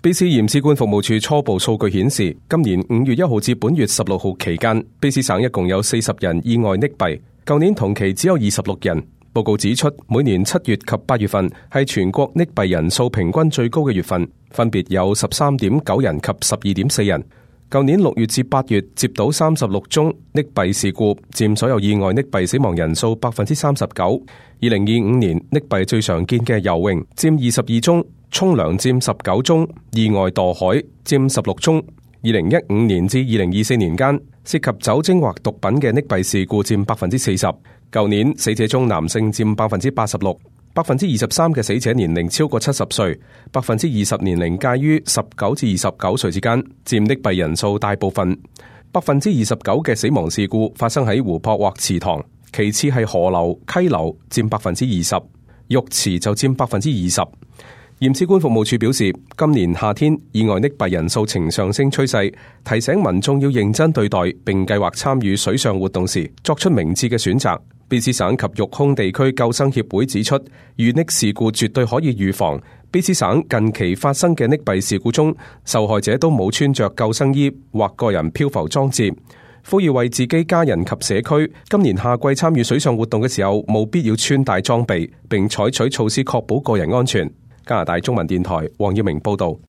卑斯驗屍官服務處初步數據顯示，今年5月1號至本月16號期間，卑斯省一共有40人意外溺斃，舊年同期只有26人。報告指出，每年7月及8月份係全國溺斃人數平均最高嘅月份，分別有13.9人及12.4人。舊年6月至8月接到36宗溺斃事故，佔所有意外溺斃死亡人數 39%。2025年溺斃最常見嘅游泳佔22宗，沖涼佔19宗，意外墮海佔16宗。2015年至2024年間，涉及酒精或毒品嘅溺斃事故佔 40%。舊年死者中男性佔 86%，23% 嘅死者年齡超過70歲，20% 年齡介於19至29歲之間，佔溺斃人數大部分。29% 嘅死亡事故發生喺湖泊或池塘，其次係河流、溪流，佔 20%， 浴池就佔 20%。驗屍官服務處表示，今年夏天意外溺斃人數呈上升趨勢，提醒民眾要認真對待，並計劃參與水上活動時作出明智嘅選擇。卑斯省及育空地區救生協會指出，遇溺事故絕對可以預防。卑斯省近期發生嘅溺斃事故中，受害者都冇穿着救生衣或個人漂浮裝置。呼籲為自己家人及社區今年夏季參與水上活動嘅時候，務必要穿戴裝備，並採取措施確保個人安全。加拿大中文電台黃耀明報道。